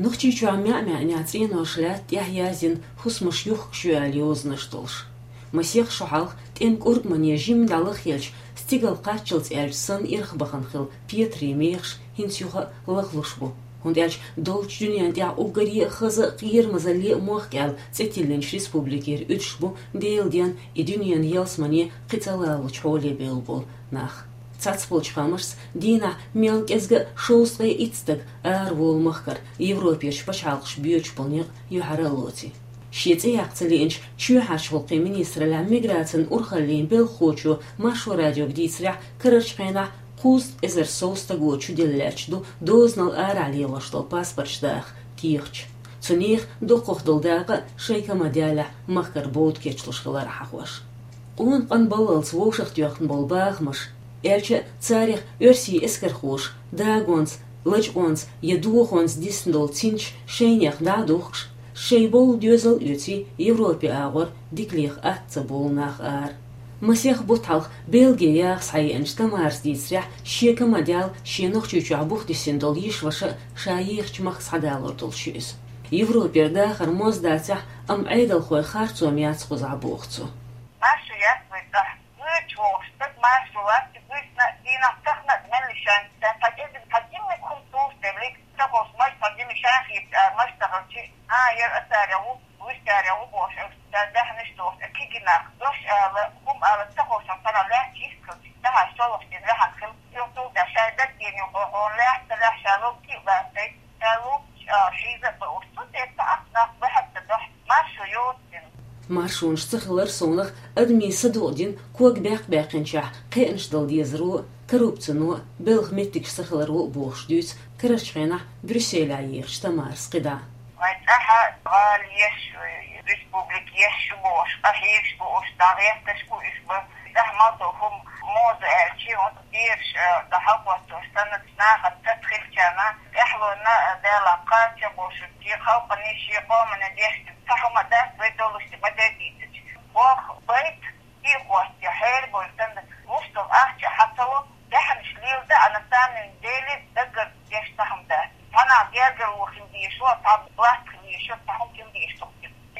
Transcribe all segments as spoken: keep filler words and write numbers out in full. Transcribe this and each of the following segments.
Нохчийчохь маьӀ-маьӀнехь цӀенош лаьтта тӀехь яздина хӀусамаш юхкуш ю аьлла йозанаш долуш. Масех шо хьалха тӀеман кӀургамане жимма дӀалаххелча, стигала кхаччалц аьлча санна ирхбахана хилла петарийн мехаш хӀинца юха а лахлуш бу. ХӀунда аьлча долчу дуьненна тӀехь уггаре а хаза а, кхерамазалле а мохк аьлла цӀе тиллинчу республикера уьдуш бу Делан денна и дуьненан ялсамане кхин цӀа лалучу хьоле бевлла болу нах. Цхьацболчу хаамашца, дийнахь мел кӀезга а шовзткъе итт стаг араволу махкара Европерчу пачхьалкхаша боьдуш болу некъ юьхьара а лоций. Шен цӀе яккха ца лиъначу чоьхьарчу гӀуллакхийн министраллехь миграцин урхаллийн белхахочо Маршо радиога дийцарехь, карарчу хенахь кхузткъа эзар сов стаго чуделла лаьтташ ду дозанал арахь лелош долу паспорташ даха кехаташ. Цу нехан доккхах долу дакъа а шайн кама даьллехь махкара бовда кечлуш хилар хьахош. Къона-къана баллалц вовшахтоьхна болу бахамаш, аьлча а царах оьрсийн эскархоша дагонца, лачкъонца я дохонца дисна долу цинцаш шайнех дӀа а духкуш, шайн болу доьзал а оьций, Европе агӀор дика леха атта ца болу нах ара. Масех бутт хьалха Бельге яха схьаеанчу Тамарас дийцарехь, шен кама даьлла шен Нохчийчохь бухдисина долу йиша-ваша а ша ехачу махка схьадалур долуш ю иза. Европера дахар моз дацахь а, амма Ӏедалхойн харцо яц кхузахь, боху цо. Марша яц вай цӀахь. Вуьйцуш волуш стаг марша вац, вуьйцна дийнахь тахана а меллишан, сан тхьа кӀезиг тхьа динниг хӀума тухуш деллиг, ца ховш маж тхьа динниг шан хеташ ара маж тахалчи, а, яра ацара ву, вуьшкара ву бохуш, ца даьхьнаш тухуш, кхигинах, дош ала, хӀума ала ца ховшан цхьана лаьтташ йистхилчи, тахьа шолгӀаш дина ваьхьан хила, юхтул да шай даггийна юхо гӀон лаьхьа ца лаьхьа ша лугти а лаьцай, ша лугташ а шийза а бауш, цу тӀе ца ахнах бахьа ца дохь, маршо йоцу дина. Маршонаш ца хилар совнах адамийн са дукъдина ког баьккх-баьккхинчохь кхиънаш дала дезаро а, коррупцино а, белхан меттигаш ца хиларо а бохуш дуьйцу карарчу хенахь Брюсселехь ехачу Тамарас кхидӀа. Вайн цӀахь гӀала еш, республика еш ю бохуш, къахьегаш бу уьш, дӀагӀерташ бу уьш бан. ЦӀахь мел долу хӀума моза аьлчи, хӀунда бераш, а, дӀахьалхӀоттош санна, нахана тата хилчарна, тӀаьхьалонна, а, Дала кхача бошуьйту, шен халкъане, шен къомане деш ду, цхьа хӀума дац вай долуш ма де дийцича. Боху байт, и хӀотте хьерабойла санна, луш долу ахча хьан ца ло, даьхьанаш лелада а, на самом деле, даггара деш цхьа хӀума дац. Цхьанхьа гергарло хила дезаш ву, цхьа латта хила дезаш ву, цхьа хӀума хила дезаш ду.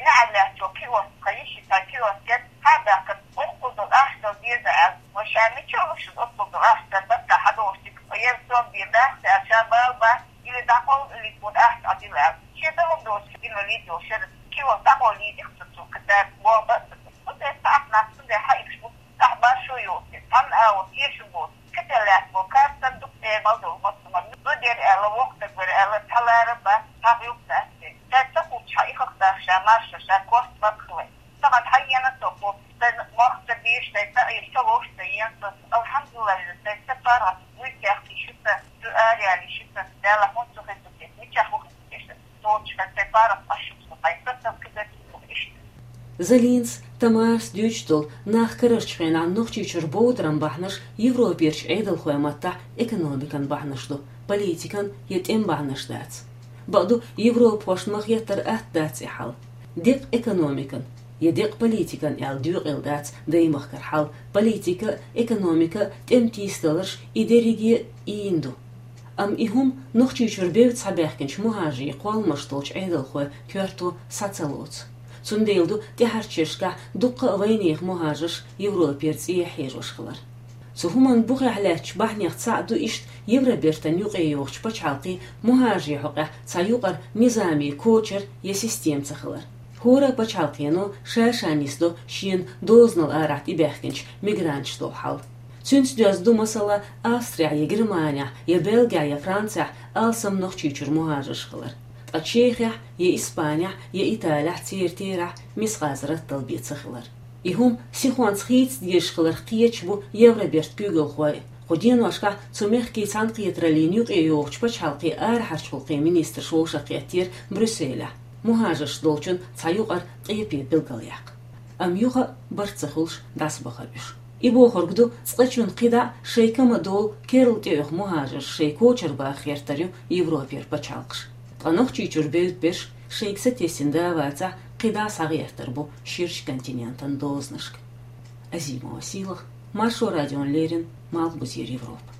НеӀаьллаьцо киоск, тхан йиши, тхан киоск яц, хьа а баьккхина, оццул долу ахча дала деза аьлла. Вай ша мича луш ду, оццул долу ахча дан баккха хьадолуш дика, яра сом бен дац аьлла, ша бала бац, или дӀакъовла, или тхуна ахча Ӏадила аьлла. Шен ца хӀума доцуш, инвалид йолуш яра, киоск дӀакъовла дийзира цо, цо кхин цара боху бац. Цу тӀе цхьа ахь нах цундела хьаийш бу, цхьа маршо йоцу, цхьанна агӀор теша бу. Кхетта лаьцна бу, картан дукха тӀемал долу мостагӀа. Ду дера аьлла, воккха даг вара аьлла, цхьа лара бац, цхьа гӀиллакх дац те. Ша ца кхуччахь, и хах даха ша марша, ша корта баккхале. Тахана хьаена со кху, сайн мохк ца бийш, сайн ца Ӏийш, ца вовш ца ен со. Алхьамдулиллахь, сайн ца паргӀат, вуй кехкий шу ца, шу араяли шу ца, Дала хӀун цу хезу те, мичахь ву хезу те ша. Цо чу сан сайн паргӀат Ӏаш шу ца, хьайн са ца кхидерг шу иштта. Залинца Тамарас дуьйцуш долу нах карарчу хенахь Нохчийчуьра бовдаран бахьанаш Европерчу Ӏедалхойн маттахь экономикан бахьанаш ду, политикан я тӀеман бахьанаш дац. Бакъду, европахошна ма-хеттара атта дац и хьал. Декъа экономикан я декъа политикан аьлла доькъийла дац даймахкара хьал, политика а, экономика а тӀеман тийсадаларш и дерриге а ийна ду. Амма и хӀума Нохчийчуьра бевдда схьабаьхкинчу мухӀажарийн кхолламаш долчу Ӏедалхойн коьрто схьа ца лоцу. Цундела ду тӀаьхьарчу шерашкахь дуккха а вайнехан мухӀажарш Европера цӀехьа хьежош хилар. Цу хӀуманна бухехь лаьттачу бахьанех цхьаъ ду иштта Евробертан юкъайогӀучу пачхьалкхийн мухӀажарийн хьокъехь цхьа юкъара низамий кочар я система ца хилар. ХӀора а пачхьалкхено ша-ша нисдо шена дозанал арахь тӀебаьхкинчу мигранташна долу хьал. Цуьнца доьзна ду, масала, Австрехь я Германехь, я Бельгехь, я Францехь алсам Нохчийчуьра мухӀажарш хилар. Ткъа Чехехь, я Испанехь, я Италехь церан терахь мискъаза раттал бен ца хилар. И хӀума сихонца хийца дезаш хиларх кхеташ бу Евробертан куьйгалхой. Кху деношкахь цу мехкийн цхьаьнакхетараллина юкъайогӀучу пачхьалкхийн арахьарчу гӀуллакхийн министраш вовшахкхеттера Брюсселехь, мухӀажарш долчун цхьа юкъара къепе билгалъяккха. Амма юха а барт ца хуьлуш дӀасабахара уьш. И бохург ду, цкъачунна кхидӀа а шайн кама долу керла тӀеоьху мухӀажарш шайн кочара баха гӀертар ю Европера пачхьалкхаш. Ткъа Нохчийчуьра бевдда берш шайга сатесна да а вацахь, кхидӀа а схьагӀертар бу ширачу континентан дозанашка. Азимова Сийлаха, Маршо радиона леррина, Малхбузера Европа.